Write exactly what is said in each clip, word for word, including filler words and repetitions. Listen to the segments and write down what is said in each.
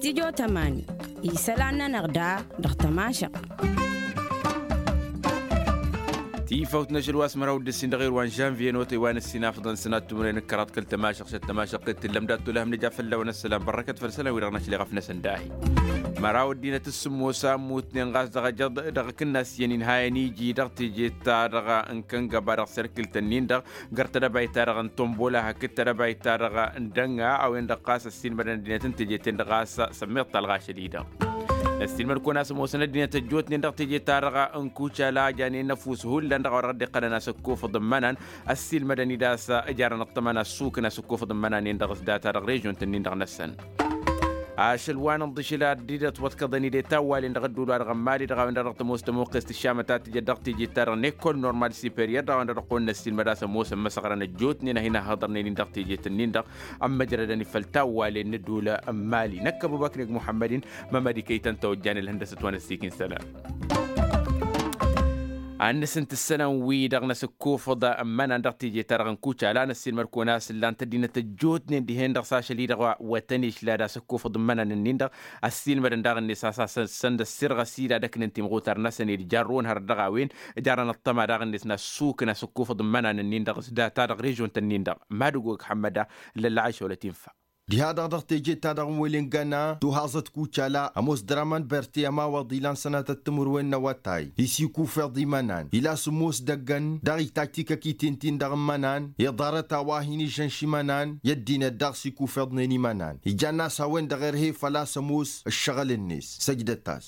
Tijo tămani isălan-nănăɣ da dăɣ-tămašăɣt. Tifawt n-ašăl wa s-măraw d-ǝssin dăɣ-erwan žănvye n-otăy wa n-ăssinafăḍăn sănat tumre n-ǝkkăraḍ kăl-tămašăɣt šăt tămašăɣt t-tǝllăm dat-tolăhăm nǝja fălla-wăn ăssălam bărrăkăt făll-isălan wi-dăɣ n-ašăl iɣăf-năsăn dahi. Măraw ăddinăt s-sǝmmos a ămmutnen ɣas dăɣ-ajăḍ dăɣ-akǝnnas i-ăninhayăn iji dăɣ-teje-ta-dăɣ n-kăngăba dăɣ-serkǝl-tăn-in-dăɣ găr tedăbayt-ta-dăɣ n-tombola hakd tedăbayt-ta-dăɣ n-dănga a-wen-dăɣ ɣas ăssiilmădăn ăddinăt n-teje-ten-dăɣ ɣas sămmeḍ talɣa ašăl-i-dăɣ. Năssiilmăd-kăwăn a-s ămoosăn ăddinăt ăjjootnen dăɣ-teje-ta-dăɣ n-kucala a janen năfus hullan dăɣ-a-wa dăɣ-dd-iqqălăn a-s ăkkofăḍ n-imănan ăssiilmădăn-dd a-s ǝjarăn ăṭṭăma n-assukǝn a-s ǝkkofăḍ n-imănan-en-dăɣ s-data dăɣ-režion-tăn-in-dăɣ năssăn. Ašăl wa n-inḍǝšǝl ad-dd-ătwăḍkăḍăn-dd i-tawwalen dăɣ-ădduul-wa-dăɣ n-mali dăɣ-a-wen-dăɣ dăɣ-tămoos tămuqqest ǝššamăt a tǝjăt dăɣ-teje-ta-dăɣ n-ekol normal superior dăɣ-a-wen-dăɣ dăɣ-kăwăn-năssiilmăd a-s ămoosăn măsăɣrăn ăjjootnen a hin-ăhhăḍărnen-in dăɣ-teje-tăn-in-dăɣ ămmăjrădăn-dd făll-tawwalen n-ădduul n-mali năkk ăbubăkneg muḥămmăd-in. Mămăd ikăy-tăn tawăjjan ǝlhăndăsăt wa n-ăssiik-in isălan. Ad-nǝsǝnt isălan-wi-dăɣ n-asǝkkufăḍ n-imănan dăɣ-teje-ta-dăɣ n-kucala năssiilmăd-kăwăn a-s ǝllan-t ăddinăt ăjjootnen dihen-dăɣ s-ašăl-i-dăɣ wa tăn-išla d-asǝkkufăḍ n-imănan-nin-dăɣ ăssiilmădăn daɣ-net a-s asăn-dd ăssirɣăs-dd ad-ăknǝn timɣutar-năsăn ed jarrăwăn hărăt dăɣ-a-wen. Jarăn ăṭṭăma daɣ-net n-assukǝn asǝkkufăḍ n-imănan-nin-dăɣ s-data dăɣ-režion-tăn-in-dăɣ. Mad-ăgg-o ăgg ăḥmăda ǝllăl lăɣašăwălăt infa. Diha-dăɣ dăɣ-teje-ta-dăɣ n-wălen găna tuhaẓăt kucala ămoos dăr-aman bărte ămawaḍ ilan sănatăt timǝrwen n-awătay isikufeḍ imănan ila sǝmmos dăggăn dăɣ-itajj tikăkiten-tin-dăɣ n-imănan iḍarăt a-wa hin-ižžănš imănan i-ăddinăt daɣ sikufeḍnen imănan ijann'-as a-wen-dăɣ irhe făl-a-s ămoos ǝššăɣǝl-net săjdăt-as.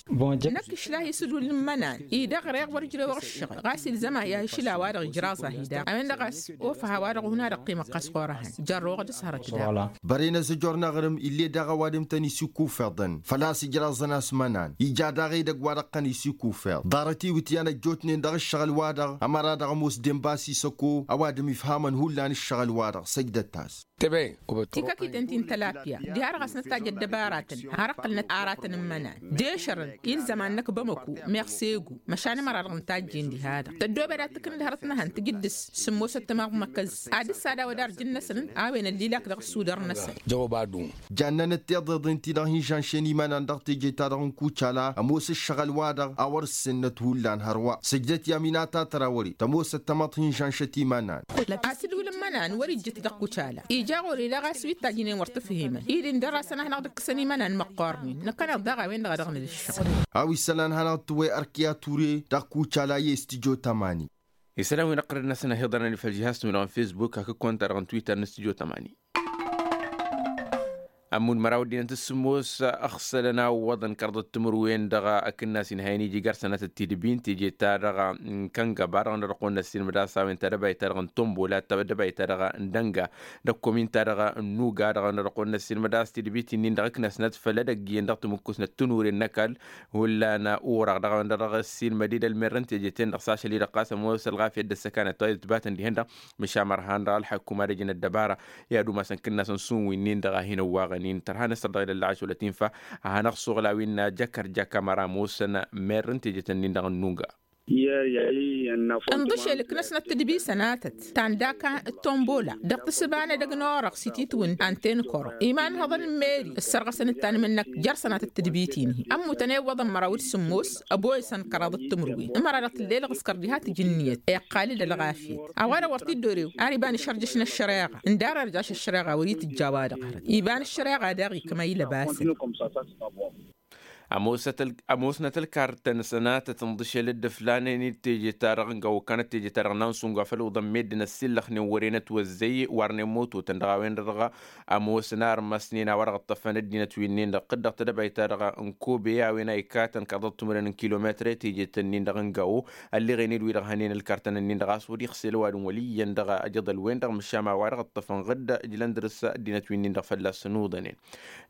Năkk išlah isǝdul n-imănan-i dăɣ-reɣ wăr ǝjrewăɣ ǝššăɣǝl ɣas ilzăm-ahi ašǝl a-wa-dăɣ ijraẓ-ahi daɣ a-wen-dăɣ a-s of aha wa-dăɣ hun-ad-ăqqimăɣ ɣas ɣur-ehăn. Jărrăwăɣ d-asărăt daɣ. Bărăynăs ǝjor n-aɣrǝm ill'-e daɣ ăwadǝm tăn-isikufeḍăn făl-a-s ǝjraẓăn a-s imănan ija daɣ edăgg wa dăɣ-tăn-isikufeḍ ḍarăt iwǝtyan ăjjootnen dăɣ-ǝššăɣǝl-wa-dăɣ ămăra dăɣ-ămoos denba s-isăko ăwadǝm ifhamăn hullan ǝššăɣǝl-wa-dăɣ săjdăt-as. Tikăkiten ti n-tălapya diha-dăɣ a-s nǝtajj ăddăbaratăn har ǝqqǝlnăt aratăn n-imănan d-ešărăn ilzăm ad-năkk bamăku meɣ segu măšan ămăra-dăɣ n-tajjen diha-dăɣ tăddobed ad-tǝknǝd hărăt n-ehăn tǝjǝddǝs sǝmmosăt timaḍ n-akăz ad-ǝssadawăd arjǝn-năsăn a-wen ăllilak dăɣ-ăssudăr-năsăn. Jannănăt tiḍeḍen-ti-dăɣ hin-žănšăn imănan dăɣ-teje-ta-dăɣ n-kucala ămoos ǝššăɣǝl-wa-dăɣ a wăr-ǝssennăt hullan hărwa săjdăt i-aminata tărawăre tămoosăt tamăḍt hin-žănšăt imănan. Asǝdul n-imănan wăr-ijjǝt dăɣ-kucala ija ɣur-i daɣ a-s wi t-tajjǝnen wăr t-fǝhimen-dd ǝndăr-asăn ad-hanăɣ-dd-ǝkkǝsăn imănan măqqornen năkkăneḍ daɣ a-wen-dăɣ a dăɣ-nǝdǝššăɣ. A-wa isălan ad-hanăɣ-dd-tǝwwey ărkǝya ture dăɣ-kucala i-s tijo tămani. Isălan wi n-ăqqărăn-năsăn ăhiḍărăn ifăl žihaz-tăn wi-dăɣ n-fesbuk hakd konta-dăɣ n-twitter n-s tijo tămani. Ămmud măraw ăddinăt s-sǝmmos ăɣsălăn a ǝwwăḍăn kărḍăt timǝrwen dăɣ-akǝnnas inhayăn iji gar sănatăt tidbin teje-ta-dăɣ n-kăngăba dăɣ-nărăqon n-ăssiilmăd a-s a-wen tadăbayt-ta-dăɣ n-tombola tadăbayt-ta-dăɣ n-dănga d-ăkkomin-ta-dăɣ n-nuga dăɣ-nărăqon n-ăssiilmăd a-s tidbit-in-dăɣ ǝknăsnăt făll-edăgg iyyăn dăɣ-timǝkkusnăt tǝnure n-ăkall. Hullan uraɣ dăɣ-a-wen-dăɣ ăssiilmăd-dd ălmerrăn teje-ten-dăɣ s-ašăl-i-dăɣ ɣas ămoos ălɣafyăt d-ăssăkanăt wa itbatăn dihen-dăɣ. Măšan mărhan dăɣ-ălḥăkkum ad-ăjǝn ăddăbara i-ad-umasăn kǝnnasăn s-un winnin-dăɣ a hin-ăwwaɣăn-in tărha n-asăr dăɣ-ilălla ašăwălăt infa. A hanăɣ-suɣǝl a-wen n-ajăkăr jăkămăra ămoosăn merrăn teje-ten-in-dăɣ n-nunga. Ǝnḍǝšel ǝknăsnăt tǝdbi sănatăt ta n-daka d-tombola dăɣ-tǝssǝba n-edăgg n-orăɣ s-ititwǝn anten kăro iman n-ihăḍăn n-meri ǝssărɣăsăn d-tanmǝnnăkt jer-sănatăt tǝdbi-t-in-hi ămmutăn i-iwwăḍăn măraw d-sǝmmos ăboyăsăn kăraḍăt timǝrwen ămăra-dăɣ tǝlla elɣǝskăr diha tǝjǝnniyăt iqqal-dd ălɣafyăt. A-wa-dăɣ wăr t-dd-orew ar iba n-išărjăš n-ăššăreɣa ǝndar ărjaš ăššăreɣa wăr-itǝjja a-wa-dăɣ hărăt iba n-ăššăreɣa daɣ ikmăy lăbasăn. Ămoosnăt ălkartăn sănatăt ǝnḍǝšel dd-ǝflanen d-teje-ta-dăɣ n-găw ǝkkanăt teje-ta-dăɣ n-ansungu afăl uḍăn meddǝn ăssillăxnen wăren ătwăzzăy warnen mototăn dăɣ-a-wen-dăɣ. Ămoosăn armăsnen a-wa-dăɣ ǝṭṭăfăn ăddinăt wi-nin-dăɣ dd-dăɣ tedăbayt-ta-dăɣ n-kobe a-wen a ikatăn kăḍăt timǝrwen n-kilometre teje-tăn-in-dăɣ n-găwo. Ălleɣen-dd wi-dăɣ hănen ǝlkartăn-nin-dăɣ a-s wăr-ixsel ăwadǝm wăl' iyyăn dăɣ-ajăḍăl-wen-dăɣ măšan a-wa-dăɣ ǝṭṭăfăn ɣǝd ǝjlăn dăr-s ăddinăt wi-nin-dăɣ fălla-săn uḍănen.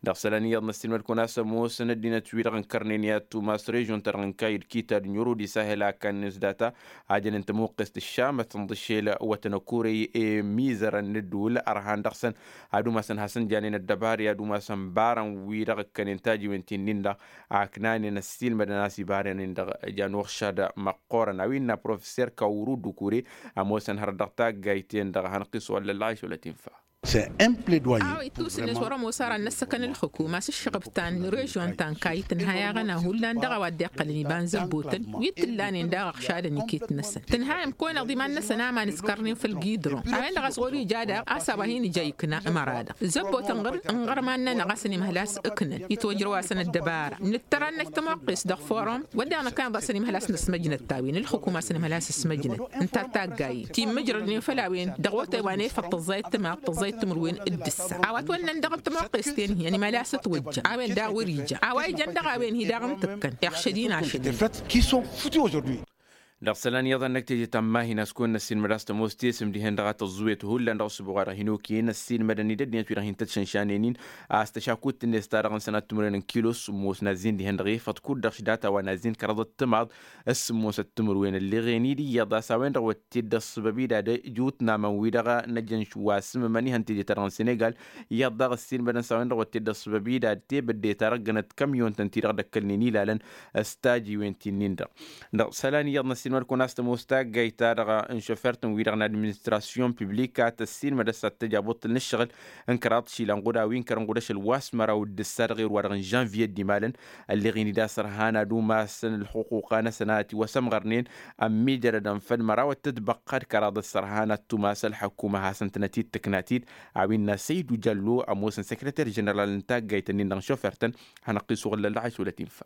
Dăɣ-isălan iyyăḍ năssiilmăd-kăwăn a-s ămoosăn ăddinăt-wi-dăɣ ǝnkărnen i-ad-tumas režion-ta-dăɣ n-kayy d-kitad n-yurud isahel a ǝkkannen s-data. Ajăn n-tămuqqest ǝššamăt tǝnḍǝšel wătăn ăkurăy i-imizărăn n-ǝddǝwǝl ărhan dăɣ-săn ad-umasăn hasăn-janen ăddăbar i-ad-umasăn barăn wi-dăɣ ǝkkănen tajiwen ti-nin-dăɣ. Aknanen ăssiilmădăn a-s ibarăn-in-dăɣ jan uɣšad măqqoorăn a-wa innă professer kawrud ukure. Ămoosăn hărăt dăɣ-taggayt-en-dăɣ a hanăɣ-t-iswăllăl ălɣayš wăla tinfa. Awăy tusǝnnet wăr-ămoos ara n-ăssăkăn ǝlxǝkum a-s ǝššăɣǝb ta n-režion ta n-kayy tǝnha i-aɣăna hullan dăɣ-a-wa dd-iqqălăn iba n-zăbbotăn wi t-ǝllanen daɣ ăɣšadăn iket-năsăn tǝnhayăm kăwăn-eḍ iman-năsăn aman ǝskărnen făll-gidron a-wen-dăɣ a-s ɣur-ija daɣ a-s a-wa hin-ija ikna ămăra-dăɣ zăbbotăn ɣǝr-n ɣărman-nănăɣ a-s ănimhăl a-s ǝknăn itwăjrăw-as n-ăddăbara nǝttăr ad-năj tămoqqes dăɣ-forum wădden ăkkaneḍ a-s ănimhăl a-s năsmăjnăt ta-wen ǝlxǝkum a-s ănimhăl a-s ăsmăjnăt ǝnta d-taggayen ti n-imǝjrădnen făll-a-wen dăɣ-otay wa n-efăḍ tǝẓẓayăt tǝmaḍ tǝẓẓayăt timǝrwen d-ǝssa a-wa ătwănnăn dăɣ-tămoqqes-ten-hi ănimhăl a-s ătwăjja a-wen daɣ wăr-ija a-wa ijăn dăɣ-a-wen-hi daɣ n-tǝkkăn iɣšăd-in ašăl. Dăɣ-isălan iyyăḍ a n-năkk teje ta n-imahin a-s kăwăn-năssiinmăd a-s tămoos tesǝm dihen-dăɣ a tăẓẓuyăt hullan dăɣ-ăssubuɣ wa dăɣ-hin-okăyăn ăssiinmădăn-dd ăddinăt wi-dăɣ hin-tăt-šănšanen-in a-s tăšakut-net ta dăɣ-nǝsăn ad-timǝrwen n-kilo s-sǝmmos n-azzin dihen-dăɣ efăḍ kud-dăɣ šidata wa n-azzin kăraḍăt timaḍ s-sǝmmosăt timǝrwen ălleɣen-dd iyyăḍ a-s a-wen-dăɣ wăr t-dd-ăṣṣăbăb-id ad-ijut n-aman-wi-dăɣ a năjăn wa s-imǝmăn ihăn teje-ta-dăɣ n-senegal. Iyyăḍ daɣ ăssiinmădăn s-a-wen-dăɣ wăr t-dd-ăṣṣăbăb-id ad-tebădde ta răggănăt kamyon-tăn-ti-dăɣ d-ăkkălnen ilalăn s-tajiwen ti-nin-dăɣ. Dăɣ-isălan iyyăḍ n-ăssiinmăd kăwăn-as tămoos taggayt-ta-dăɣ n-šofert-tăn-wi-dăɣ n-administrasyon publika tăssiinmăd a-s ad-t-tăj abuṭṭǝl n-ǝššăɣǝl n-kăraḍ išilan ɣud a-wi n-kărăn ɣud ašăl wa s-măraw d-ǝssa dăɣ-erwa-dăɣ n-žănviye d-imalăn ălleɣ-in-dd a-s ărhan ad-umasăn ǝlxuquqa-năsăn a ătiwăsămɣărnen ămmiijărădăn făll-măraw ăttătbăqqa d-kăraḍ ăssărhan ad-tumas ălḥăkuma hasăn-tănăt-dd tǝknat-dd. A-wen n-asăydu jallo ămoosăn săkrăter ženeral n-taggayt-ǝnnin-dăɣ n-šofer-tăn hanăɣ-t-iswăɣǝl lăllaɣ a-s wălăt infa.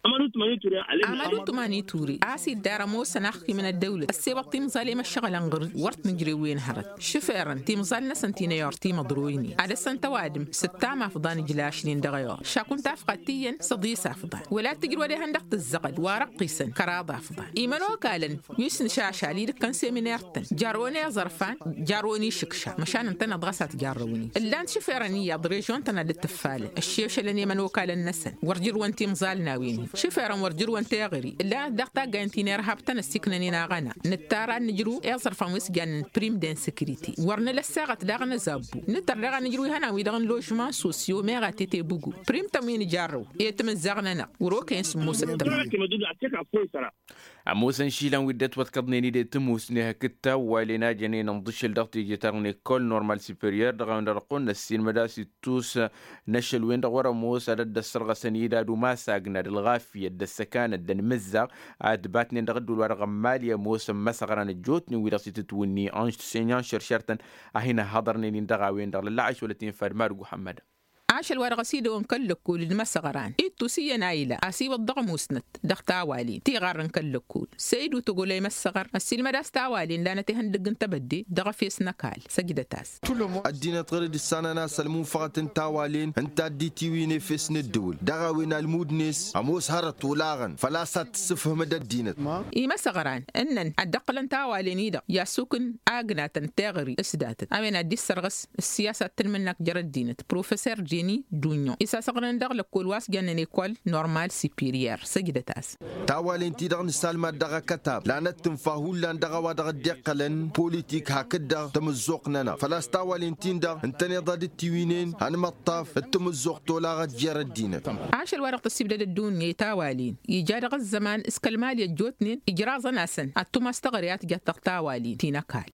Amădu tumani ture a-s iddar ămoosăn axkim n-ăddăwlăt ăssewăḍ timẓal i-măššăɣǝlăn ɣǝr-dd wăr t-nǝjrew-en hărăt šifărăn timẓal-năsăn ti n-eyor timăḍroynen ad-ăssăn tăwadǝm s-ǝttam afḍan ǝjlašnen dăɣ-eyor šakun tafɣat ti-iyyăn s-ăḍis afḍan wăla t-tǝjrǝwăd ihăndăɣ tǝzzăɣăl wa răqqisăn kăraḍ afḍan imănokalăn wi s-nǝšašal idǝkkăn seminer-tăn jarrăwăn i-aẓărfan jarrăwăn išǝkša măšan ǝntăneḍ ɣas a t-jarrăwăn-in ǝllan-t šifărăn iyyăḍ režion-tăn ad-dd-tǝffalăn ăššešălăn i-imănokalăn-năsăn wăr jǝrwăn timẓalnawen-in šifărăn wăr jǝrwăn teɣări ǝllan-t daɣ taggayen ti n-irhab-tăn ăssiiknăn-in aɣăna nǝttar ad-nǝjrǝw i-aẓărfan wi s-jannen prim d-insekrite wăr nǝla ăssaɣăt daɣ n-azabbu nǝtăr daɣ ad-nǝjrǝw ihănan-wi-dăɣ n-ložman sosyo meɣa tetebugu prim-tăn wi nǝjarrăw i-timǝzzaɣ-nănăɣ wăr-okăyăn sǝmmosăt tămăɣ. Ămoosăn išilan wi dd-ătwăḍkăḍnen-dd i-tǝmusne hakd tawwalen a jănen ǝnḍǝšǝl dăɣ-teje-ta-dăɣ n-ekol normal superior dăɣ-a-wen-dăɣ dăɣ-kăwăn-năssiinmăd a-s ittus n-ašăl-wen-dăɣ wăr-ămoos ad-ăddăssărɣăsăn-dd ad-umas agnad ălɣafyăt d-ăssăkanăt d-anmǝzzaɣ ad-ǝbatnen dăɣ-ǝddǝwǝl wa dăɣ-n mali ămoosăn imăsăɣran ăjjootnen wi-dăɣ s-itǝtwǝnni ănš tǝssenyan šăršărtăn a hin-ăhhăḍărnen-in dăɣ-a-wen-dăɣ lălla ašwălăt infa d-madǝg uḥămmăd. Ašăl wa dăɣ-s idăwăn kăl-lăkkol d-imăsăɣran ittus iyyăn a ila a-s iwǝḍ dăɣ-musnăt dăɣ-tawalen tiɣarrăn kăl-lăkkol săydu togolăy măssăɣăr ăssiilmăd a-s tawalen lanăt ihăndăgg n-tebădde dăɣ-efes n-ăkall săjdăt-as. Ăddinăt ɣur-dd-ǝssanăn a-s ălmunfăɣăt n-tawalen ǝnta dd-itiwǝyăn efes n-ǝddǝwǝl dăɣ-a-wen almud-net ămoos hărăt olaɣăn făl-a-s ad-tǝssǝfhǝmăd ăddinăt. Imăsăɣran ǝnnăn ad-dd-ăqqǝlăn tawalen-i-dăɣ i-asuk n-agnatăn teɣări s-datăt a-wen ad-dd-issărɣǝs ǝssiyasa d-tǝnmǝnnakt jer-ăddinăt professer jeni dunyo isasăɣrăn dăɣ-lăkkol wa s-jannen ekol normal superior săjdăt-as. Tawalen-ti-dăɣ nǝsalmad dăɣ-akătab lanăt-tǝnfa hullan dăɣ-a-wa dăɣ-dd-iqqălăn politik hakd-dăɣ tamǝzzuɣt-nănăɣ făl-a-s tawalen-tin-dăɣ ǝntăneḍ ad-dd-tiwǝynen ănmăṭṭaf d-tamǝzzuɣt olaɣăt jer-ăddinăt. Ašăl wa dăɣ-tăssibdăd ăddunya i-tawalen ija dăɣ-ăzzăman s-kăl-mali ăjjootnen ijraẓăn-asăn ad-tumas teɣăre a tǝjat dăɣ-tawalen ti n-ăkall.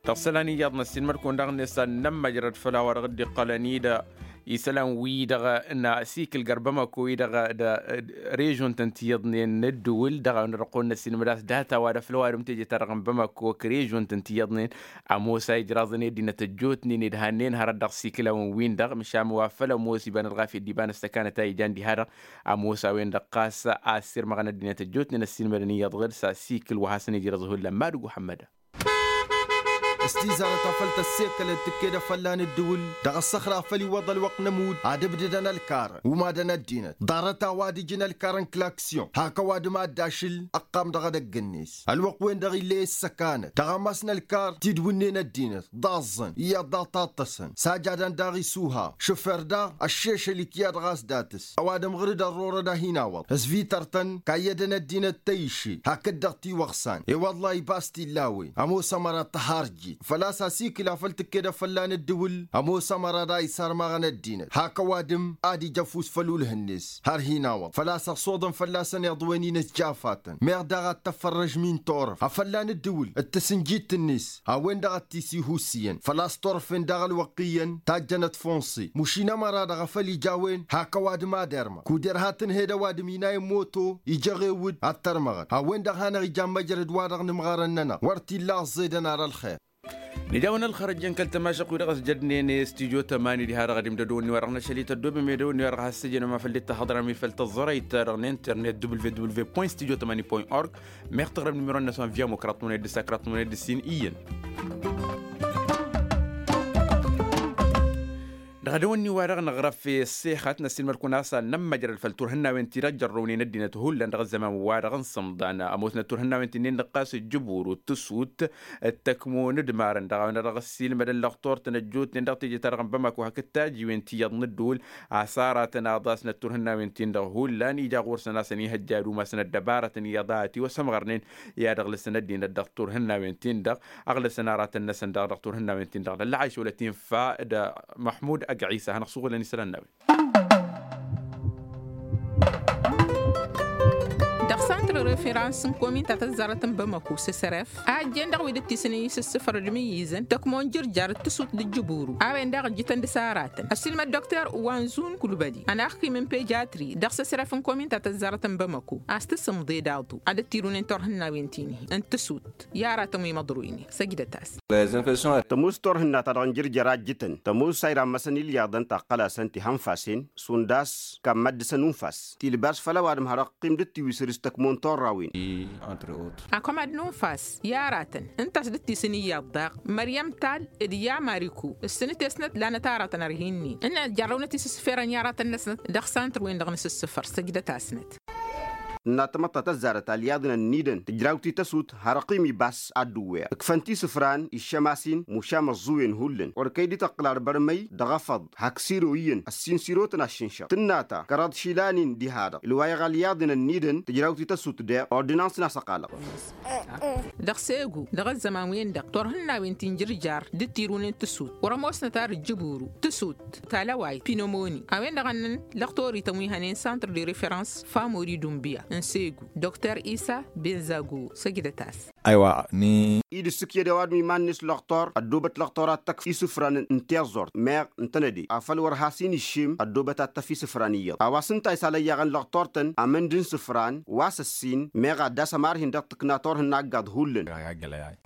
Dăɣ-isălan iyyăḍ n-ăssiinmăd-kăwăn daɣ-net ad-nămmăjrăd făll-a-wa dăɣ-dd-iqqălăn-dd isălan-wi-dăɣ n-asikǝl gar bamako-wi-dăɣ d-režion-tăn ti iyyăḍnen n-ǝddǝwǝl dăɣ-a-wen-dăɣ dăɣ-kăwăn-năssiinmăd a-s data-wa-dăɣ făll-ăwadǝm teje-ta-dăɣ n-bamako ăkk režion-tăn ti iyyăḍnen ămoos a ijraẓăn i-ăddinăt ăjjootnen ed hannen hărăt dăɣ-isikǝlawăn-win-dăɣ măšan wa făl ămoos iba n-ălɣafyăt d-iba n-ăssăkanăt a ijan diha-dăɣ. Ămoos a-wen-dăɣ ɣas a ăssirmăɣăn ăddinăt ăjjootnen ăssiinmădăn iyyăḍ ɣǝr-s asikǝl wa hasăn-ijrăẓ hullan madǝg uḥămmăd. S-tizarăt a făl tăssekălăt tǝkked afălla n-ǝddǝwǝl dăɣ-ăssăxra a făl iwwăḍ ălwăqq n-ămudd ad-ǝbdǝdăn ălkarăn umadăn ăddinăt ḍarăt-a-wa d-ǝjǝn ălkarăn klaksyon hak ăwadǝm a dd-ašǝl ăqqam dăɣ-edăgg-net ălwăqq-wen-dăɣ ill'-e ǝssăkanăt taɣamas n-ălkar tidwǝnnen ăddinăt ḍaẓẓăn iyyăḍ daɣ taṭṭăsăn sajadăn daɣ isuha šǝfer daɣ ăššešăl ikya-dăɣ a-s dat-s ăwadǝm ɣǝr-dd ărrorăd a hin-awăḍ s-vităr-tăn kayyădăn ăddinăt tăyše hakd-dăɣ tiwăɣsan i-wălla ibas tillawen ămoos ămăra tăharjit. Făl-a-s asikǝl a făl tǝkked a fălla n-ǝddǝwǝl ămoos ămăra da isarmaɣăn ăddinăt hak ăwadǝm ad-ija ăfuss făll-ulh-net har hin-awăḍ făl-a-s ăṣṣoḍăn fălla-săn iḍwen-in ăsjafatăn meɣ daɣ ad-tăffărrăžmi n-turăft a fălla n-ǝddǝwǝl d-tǝsǝnjit-net a-wen-dăɣ a t-tisihusǝyăn făl-a-s turăfen daɣ ălwăqq iyyăn tajjănăt funṣi mušin ămăra-dăɣ a făl ija a-wen hak ăwadǝm ad-irmăɣ kud-irha tǝnhed ăwadǝm inay n-moto ija ăɣewǝd ad-tărmăɣăt a-wen-dăɣ hanăɣ-ija n-măjrăd-wa-dăɣ n-imɣarăn-nănăɣ wăr t-illa ăẓẓedăn ar ălxer. Nǝja a-wen ălxărăjjăn kăl-tămašăq-wi-dăɣ ăsjădnen studyo tămani diha-dăɣ ad-imdăd-wǝnni-wa-dăɣ n-ašăl-i tăddoobem edăw-wǝnni-wa-dăɣ has-săjjănăm a făl dd-tahăḍrăm i-făl tăẓẓărăyt-ta-dăɣ n-internet www point studio tămani point org. Meɣ tăɣrăm n-imiro-năsăn via mukra tmăned d-sakra tmăned d-sin iyyăn. Dăɣ-edăw-wǝnni-wa-dăɣ năɣrăf i-ăssexăt n-ăssiilmăd-kăwăn a-s ad-nămmăjrăd făll-turhǝnnawen-ti-dăɣ jărrăwnen ăddinăt hullan dăɣ-ăzzăman-wa-dăɣ n-sǝmḍan ămoosnăt turhǝnnawen-ti-nin-dăɣ ɣas ǝjjǝburu d-tǝsut d-tăkmon d-imarăn dăɣ-a-wen-dăɣ ăssiilmădăn lăxtur-tăn ăjjootnen dăɣ-teje-ta-dăɣ n-bamako hakd tajiwen ti iyyăḍ n-ăddǝwǝl. A-s aratăn aḍas n-ătturhǝnnawen-tin-dăɣ hullan ija ɣur-săn a-s ănihăjja ad-umasăn ăddăbarătăn iyyăḍ a ătiwăsămɣărnen i-ad-ăɣlǝsăn ăddinăt dăɣ-turhǝnnawen-tin-dăɣ. Ăɣlǝsăn aratăn-năsăn daɣ dăɣ-turhǝnnawen-tin-dăɣ d-ăllăɣayš wăla tinfa d-măḥmud ăgg-ɣisa a hanăɣ-suɣǝlăn isălan n-a-wen. Dăɣ-santr referans n-komin ta tăzzarăt n-bamăko s-sărăf a ăjjeen dăɣ-wi dd-tisǝnǝy s-ǝssǝfăr d-imǝyyǝzăn tăkmon jǝrjar d-tǝsut d-ǝjjǝburu a-wen daɣ ǝjjǝtăn d-săratăn ăssiilmăd dokter wanzun kulbădi ănaxkim n-pejatri dăɣ-s ăsrăf n-komin ta tăzzarăt n-bamăko. A-s tǝsǝmḍe d-aḍu ad-dd-tirunen turhǝnnawen-ti-nihi n-tǝsut i-aratăn wi măḍroynen săjdăt-as. Tămoos turhǝnna-ta-dăɣ n-jǝrjăr a ǝjjǝtăn tămoos a irammasăn ilyaḍăn ta ăqqăl-asăn tihănfasen šund a-s kammad dăɣ-săn unfas tilbas făll-ăwadǝm har ăqqim dd-tiwisǝr s-tăkmon turrawen. Akămad n-unfas i-aratăn ǝnta a-s dd-tisǝn iyyăḍ daɣ măryăm tal d-yamariku ǝssǝnǝtesnăt lanăt aratăn ărhinnin ǝnnăn ăjjarrăwnăt isǝssǝferăn i-aratăn-năsnăt dăɣ-santr-wen-dăɣ n-asǝssǝfăr săjdăt-asnăt. Tǝnna tamăḍt ta tăzzarăt alyaḍnen ǝnnidăn tǝjrawt-i tăsut har ăqqim ibas ad-dd-ǝwweɣ ǝkfăn-t isǝfran iššămasin mušam ăẓẓuwen hullan wăr kăy-dd-tăqqǝl arbărmăy dăɣ-efăḍ hak siro iyyăn ăssin sirotăn aššǝnšăɣ tǝnna ta kăraḍ išilan-in diha-dăɣ ǝlwayăɣ alyaḍnen ǝnnidăn tǝjrawt-i tăsut deɣ ordǝnans n-asăqalăɣ. Dăɣ-segu dăɣ-ăzzăman-wen-dăɣ turhǝnnawen ti n-jǝrjar dd-tirunen tǝsut wăr-ămoosnăt ar ǝjjǝburu tǝsut talăwayt pinomoni a-wen-dăɣ ănnăn lăxtorităn wi hănen santr de referans famori dunbiya n-segu dokter isa benzago săjdăt-as. Aywa ni. Id-ǝssǝkyăd ăwadǝm iman-net lăxtor ăddoobăt lăxtor ad-tăkf isǝfran n-tiẓẓurt meɣ ǝntănăde afăl wăr has-in-iššem ăddoobăt ad-tăf isǝfran iyyăḍ a-wa s-ǝnta a isalăyyaɣăn lăxtor-tăn amǝnd n-isǝfran wa s-ăssin meɣ ad-dd-asăm arhin dăɣ-tǝkna turhǝnna aggaḍ hullan.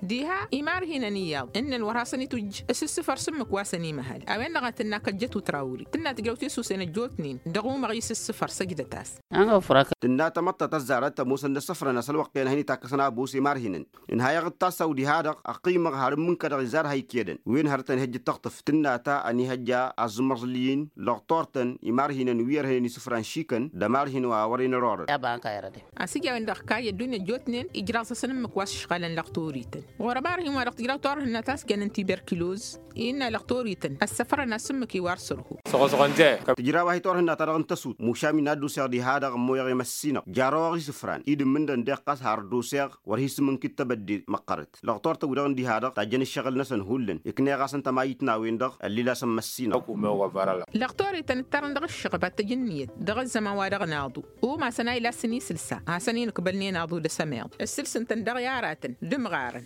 Diha imarhinăn iyyăḍ ǝnnăn wăr hasăn-itwǝjj s-ǝssǝfăr s-ǝmmǝk wa săn imăhăl a-wen-dăɣ a tǝnna kăjjăt utrawri tǝnna tǝjrăw tisusen ăjjootnen dăɣ-umăɣ i-s-ǝssǝfăr săjdăt-as. Tǝnna tamăḍt ta tăzzarăt ămoosăn d-ăssăfrăn asălwăqq i-ănhăyăn itakkăsăn abos i-imarhinăn ǝnhayăɣ d-tassaw diha-dăɣ ăqqimăɣ har ǝmmǝnkădăɣ izar ha ikyădăn wen hărăt ănhăjj d-tăɣtǝft tǝnna ta ănihăjja azǝmẓǝl-i-in lăɣtor-tăn imarhinăn wi ărhănen isǝfran šikăn d-ămarhin wa wăren ărorăn. A-s ija a-wen-dăɣ kayy ăddunya ăjjootnen ijraẓ-asăn ǝmmǝk wa s-ǝšɣalăn lăɣtorităn ɣur-ămarhin wa dăɣ-tǝjraw turhǝnna ta s-jănăn tiberkiloz innă lăɣtorităn ăssăfrăn-as ǝmmǝk iwar sărhu. Tǝjraw-ahi turhǝnna-ta-dăɣ n-tăsut mušam-in ad-dd-useɣ diha-dăɣ ămmoyăɣ i-măssinăɣ jaroɣăɣ isǝfran i-dd-ǝmmǝndăn deɣ ɣas har dd-useɣ wăr hi-sǝmmǝnkǝd tebădde măqqărăt lăɣtor-tăn-wi-dăɣ n-diha-dăɣ tajjăn ǝššăɣǝl-năsăn hullan ǝkneɣ-asăn tămayit n-a-wen-dăɣ ăllil-asăn măssinăɣ. Lăɣtorităn ǝttarăn dăɣ-ǝššăɣăb ad-tăj ǝnniyăt dăɣ-ăzzăman wa dăɣ-naḍu umasăn a ilasăn isǝlsa hasăn-in-ǝkbălnen aḍu d-asămeḍ ǝssǝlsǝn-tăn dăɣ-i aratăn d-ǝmɣarăn.